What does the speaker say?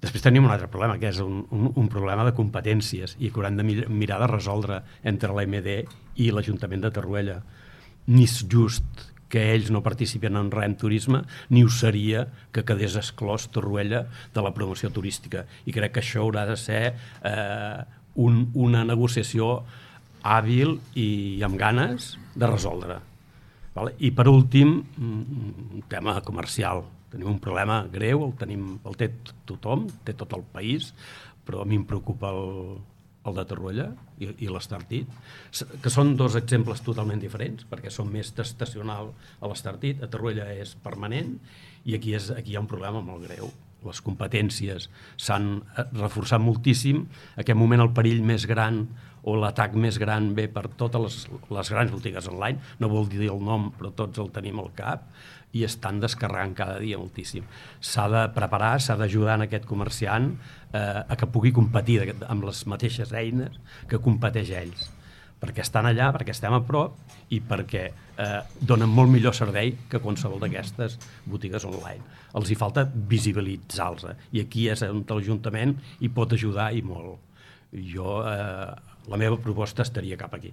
Després tenim un altre problema, que és un problema de competències i que haurem de mirar de resoldre entre l'AMD i l'Ajuntament de Torroella. Ni és just que ells no participen en res en turisme, ni ho seria que quedés exclòs Torroella de la promoció turística. I crec que això haurà de ser una negociació hàbil i amb ganes de resoldre. I per últim, un tema comercial. Tenim un problema greu, el té tothom, té tot el país, però a mi em preocupa el de Torroella i l'Estartit, que són dos exemples totalment diferents, perquè són més estacional a l'Estartit, a Torroella és permanent, i aquí hi ha un problema molt greu. Les competències s'han reforçat moltíssim. En aquest moment el perill més gran o l'atac més gran ve per totes les grans botigues online, no vol dir el nom, però tots el tenim al cap, i estan descarregant cada dia moltíssim. S'ha de preparar, s'ha d'ajudar en aquest comerciant a que pugui competir amb les mateixes eines que competeix ells, perquè estan allà, perquè estem a prop i perquè donen molt millor servei que qualsevol d'aquestes botigues online. Els hi falta visibilitzar-los, i aquí és on l'Ajuntament hi pot ajudar i molt. La meva proposta estaria cap aquí.